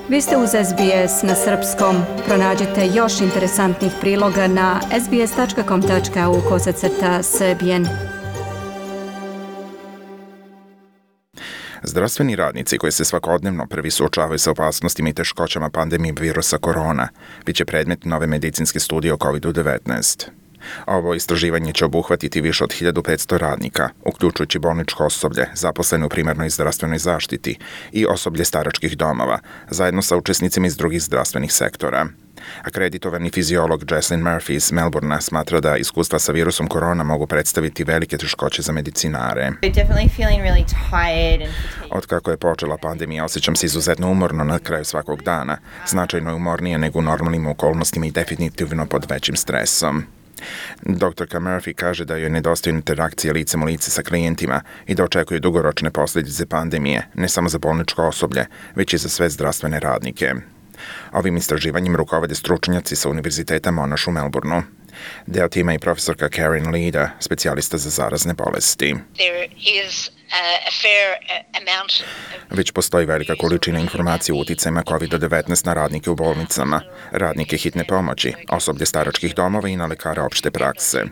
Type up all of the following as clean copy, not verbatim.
Vi ste uz SBS na srpskom. Pronađite još interesantnih priloga na sbs.com.au/srbijen. Zdravstveni radnici koji se svakodnevno prvi suočavaju sa opasnostima i teškoćama pandemije virusa korona bit će predmet nove medicinske studije o COVID-19. Ovo istraživanje će obuhvatiti više od 1500 radnika, uključujući bolničko osoblje, zaposlene u primarnoj zdravstvenoj zaštiti i osoblje staračkih domova, zajedno sa učesnicima iz drugih zdravstvenih sektora. Akreditovani fiziolog Jesslyn Murphy iz Melbourna smatra da iskustva sa virusom korona mogu predstaviti velike teškoće za medicinare. Otkako je počela pandemija, osjećam se izuzetno umorno na kraju svakog dana. Značajno je umornije nego u normalnim okolnostima i definitivno pod većim stresom. Doktorka Murphy kaže da joj nedostaju interakcije licem u lice sa klijentima i da očekuje dugoročne posljedice pandemije, ne samo za bolničko osoblje, već i za sve zdravstvene radnike. Ovim istraživanjem rukovode stručnjaci sa Univerziteta Monash u Melbourneu. Deo tima i profesorka Karen Lida, specijalista za zarazne bolesti. Već postoji velika količina informacija o uticajima COVID-19 na radnike u bolnicama, radnike hitne pomoći, osoblje staračkih domova i na lekare opšte prakse.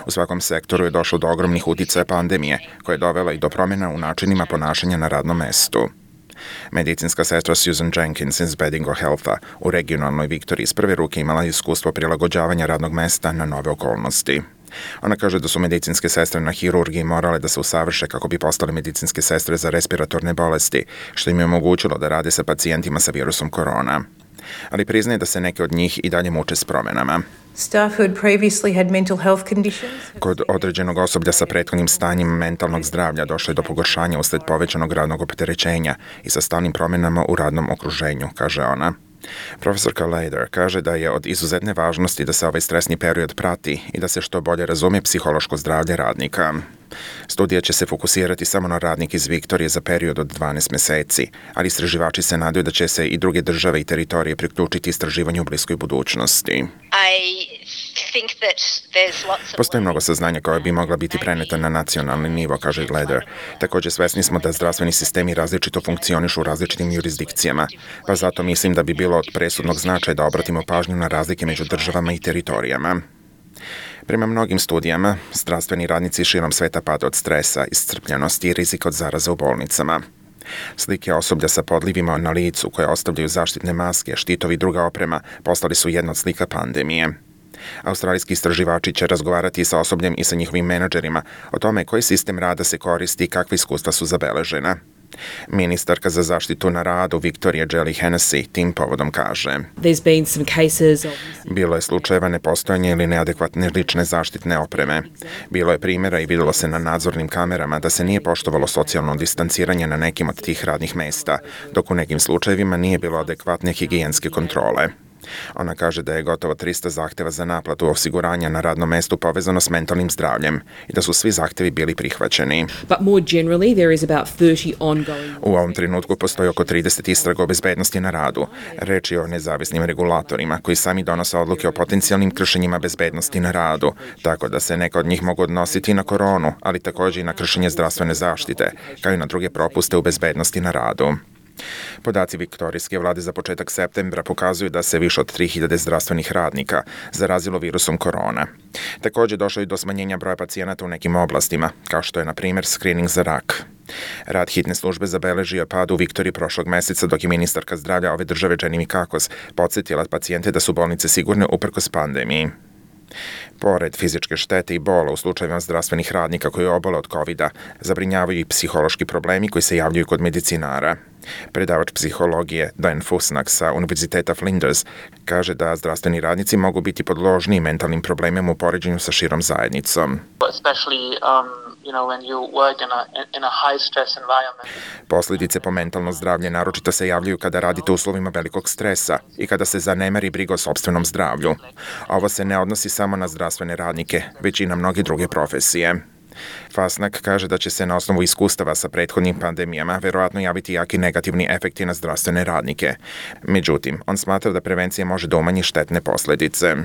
U svakom sektoru je došlo do ogromnih uticaja pandemije, koja je dovela i do promjena u načinima ponašanja na radnom mestu. Medicinska sestra Susan Jenkins iz Bedingo Healtha u regionalnoj Viktoriji iz prve ruke imala iskustvo prilagođavanja radnog mesta na nove okolnosti. Ona kaže da su medicinske sestre na hirurgiji morale da se usavrše kako bi postale medicinske sestre za respiratorne bolesti, što im je omogućilo da rade sa pacijentima sa virusom korona. Ali priznaje da se neke od njih i dalje muče s promjenama. Kod određenog osoblja sa prethodnim stanjem mentalnog zdravlja došlo je do pogoršanja usled povećanog radnog opterećenja i sa stalnim promjenama u radnom okruženju, kaže ona. Profesorka Leder kaže da je od izuzetne važnosti da se ovaj stresni period prati i da se što bolje razume psihološko zdravlje radnika. Studija će se fokusirati samo na radnike iz Viktorije za period od 12 mjeseci, ali istraživači se nadaju da će se i druge države i teritorije priključiti istraživanju u bliskoj budućnosti. Postoji mnogo saznanja koja bi mogla biti preneta na nacionalni nivo, kaže Leder. Također svesni smo da zdravstveni sistemi različito funkcionišu u različitim jurisdikcijama, pa zato mislim da bi bilo od presudnog značaja da obratimo pažnju na razlike među državama i teritorijama. Prema mnogim studijama, zdravstveni radnici širom sveta pade od stresa, iscrpljenosti i rizika od zaraza u bolnicama. Slike osoblja sa podlivima na licu koje ostavljaju zaštitne maske, štitovi i druga oprema postali su jedna od slika pandemije. Australijski istraživači će razgovarati sa osobljem i sa njihovim menadžerima o tome koji sistem rada se koristi i kakve iskustva su zabeležena. Ministarka za zaštitu na radu Viktorija Jelly Hennessy tim povodom kaže: Bilo je slučajeva nepostojanja ili neadekvatne lične zaštitne opreme. Bilo je primjera i vidjelo se na nadzornim kamerama da se nije poštovalo socijalno distanciranje na nekim od tih radnih mesta, dok u nekim slučajevima nije bilo adekvatne higijenske kontrole. Ona kaže da je gotovo 300 zahtjeva za naplatu osiguranja na radnom mestu povezano s mentalnim zdravljem i da su svi zahtjevi bili prihvaćeni. U ovom trenutku postoji oko 30 istraga o bezbednosti na radu. Reč je o nezavisnim regulatorima koji sami donose odluke o potencijalnim kršenjima bezbednosti na radu, tako da se neka od njih mogu odnositi na koronu, ali također i na kršenje zdravstvene zaštite, kao i na druge propuste u bezbednosti na radu. Podaci viktorijske vlade za početak septembra pokazuju da se više od 3000 zdravstvenih radnika zarazilo virusom korona. Također došlo je do smanjenja broja pacijenata u nekim oblastima, kao što je na primjer screening za rak. Rad hitne službe zabeležio pad u Viktoriji prošlog mjeseca, dok je ministarka zdravlja ove države Jenny Mikakos podsjetila pacijente da su bolnice sigurne uprkos pandemiji. Pored fizičke štete i bola u slučajevima zdravstvenih radnika koji obole od COVID-a, zabrinjavaju i psihološki problemi koji se javljaju kod medicinara. Predavač psihologije Dan Fusnak sa Univerziteta Flinders kaže da zdravstveni radnici mogu biti podložni mentalnim problemima u poređenju sa širom zajednicom. Posljedice po mentalno zdravlje naročito se javljaju kada radite u uslovima velikog stresa i kada se zanemari briga o sopstvenom zdravlju. Ovo se ne odnosi samo na zdravstvene radnike, već i na mnoge druge profesije. Fasnak kaže da će se na osnovu iskustava sa prethodnim pandemijama verovatno javiti jaki negativni efekti na zdravstvene radnike. Međutim, on smatra da prevencija može da umanji štetne posledice.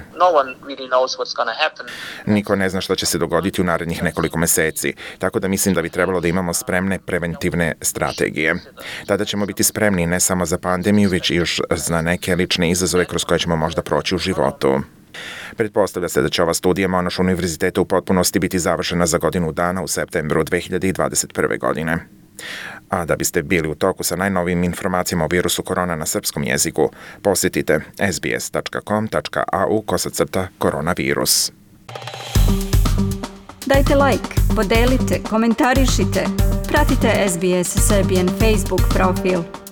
Niko ne zna što će se dogoditi u narednih nekoliko meseci, tako da mislim da bi trebalo da imamo spremne preventivne strategije. Tada ćemo biti spremni ne samo za pandemiju, već i još za neke lične izazove kroz koje ćemo možda proći u životu. Pretpostavlja se da će ova studija Monash univerziteta u potpunosti biti završena za godinu dana u septembru 2021. godine. A da biste bili u toku sa najnovijim informacijama o virusu korona na srpskom jeziku, posjetite sbs.com.au/koronavirus. Dajte like, podelite, komentarišite. Pratite SBS Serbian Facebook profil.